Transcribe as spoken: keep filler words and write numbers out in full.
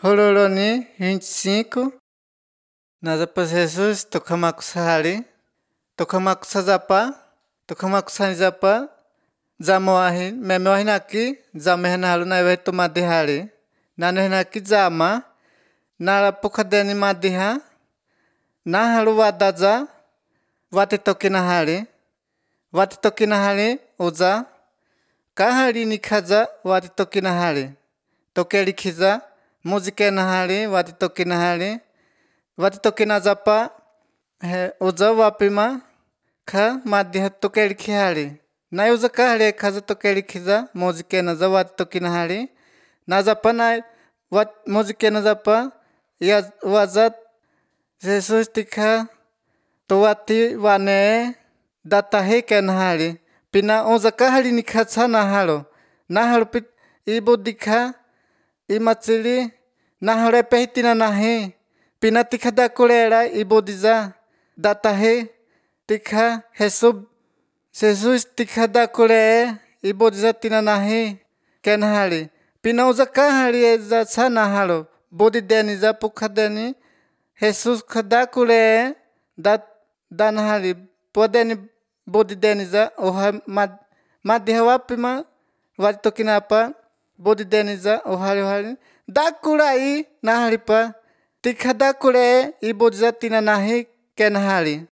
Roloroni vinte e cinco, Nazapas Jesus, Tocamaco Sahari, Tocamaco Sazapa, Tocamaco Sanizapa, Zamoahi, Memohinaki, Zamehanalo na Veto Madihari, Nanohinaki Zama, Nara Pocadeni Madiha, Nahalu Wadaza, Watitokinahari, Watitokinahari, Uza, Kahari Nikaza, Watitokinahari, Tokelikiza, Muzikenahari, Watitokinahari, Watitokinazapa, Uza Wapima, Ka Madiha Tokelikihari, Nayuza Kahari Kaza Tokelikiza, Muzikenaza Watitokinahari, Nazapana, Wat Muzikenazapa, Wazat, Jesus Tika, Towati Wane, Datahe Kenahari, Pina Uza Kahari Nikatsa Nahalo, Nahalo Pit Ibudika, Imatsili, Nahare Pehitina Nahe, Pina Tikada Kulera, Ibudiza, Datahe, Tika, Hesub, Jesus Tikada Kule, Ibudiza Tinanahe, Kenahari, Pina Uza Kahari Eza Sanahalo, Budideni Zapukadeni, Jesus Kadakule, Dat Danahari, Podeni Budideniza, Oha Madihawapima, Watitokinapa, Budideniza, Ohari Ohari, Dakurai, Naharipa, Tikadakule, Ibudiza Tinanahe, Kenahari.